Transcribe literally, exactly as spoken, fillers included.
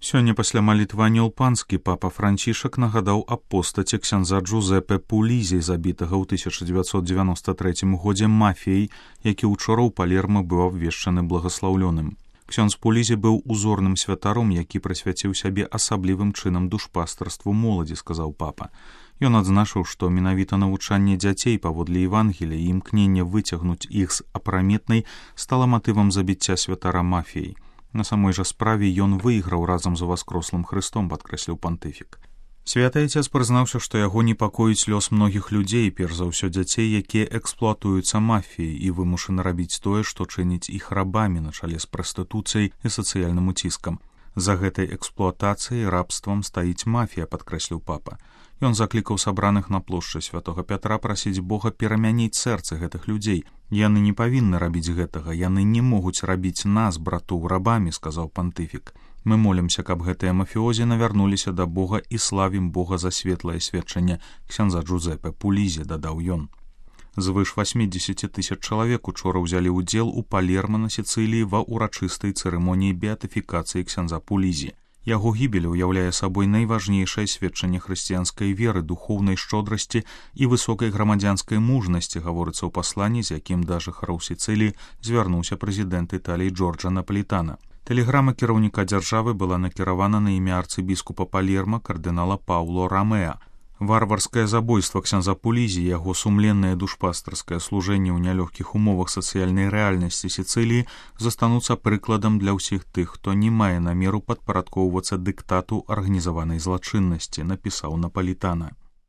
Сёння пасля малітвання панскі папа Францішак нагадаў аб постаці ксяндза Джузепе Пулізі, забітага ў тысяча дзевяцьсот дзевяноста трэцім годзе мафіяй, які ўчора ў Палерма быў абвешчаны благаслаўлёным. Ксёндз Пулізі быў узорным святаром, які прысвяціў сябе асаблівым чынам душпастарству моладзі, сказаў папа. Ён адзначыў, што менавіта навучанне дзяцей паводле Евангелія і імкненне выцягнуць іх з апраметнай стала матывам забіцця святара мафіяй. На самой жа справе ён выйграў разам з Воскрослым Хрыстом, падкрэсліў пантыфік. Святы Айцец прызнаўся, што яго непакоіць лёс многіх людзей, перш за ўсё дзяцей, якія эксплуатуюцца мафіяй і вымушаны рабіць тое, што чыніць іх рабамі на чале з прастытуцыяй і сацыяльным уціскам. За гэтай эксплуатацыяй рабствам стаіць мафія, падкрэсліў папа. Ён заклікаў сабраных на плошчы святога Пятра прасіць Бога перамяніць сэрцы гэтых людзей. Яны не павінны рабіць гэтага, яны не могуць рабіць нас, братоў, рабамі, сказаў пантыфік. Мы молімся, каб гэтыя мафіозі навярнуліся да Бога і славім Бога за светлае сведчанне ксяндза Джузепе Пулізі, дадаў ён. Звыш васьмідзесяці тысяч чалавек учора ўзялі ўдзел у Палерма на Сіцыліі ва ўрачыстай цырымоніі беатыфікацыі ксяндза Пулізі. Яго гібель уяўляе сабой найважнейшае сведчанне хрысціянскай веры, духоўнай шчодрасці і высокай грамадзянскай мужнасці, гаворыцца ў пасланні, з якім да жыхароў Сіцыліі звярнуўся прэзідэнт Італіі Джорджа Напалітана. Тэлеграма кіраўніка дзяржавы была накіравана на імя арцыбіскупа Палерма кардынала Пауло Рамеа. Варварскае забойства ксяндза Пулізі, яго сумленнае душпастарскае служэнне ў нялёгкіх умовах сацыяльнай рэальнасці Сіцыліі застануцца прыкладам для ўсіх тых, хто не мае намеру падпарадкоўвацца дыктату арганізаванай злачыннасці, напісаў Напалітана.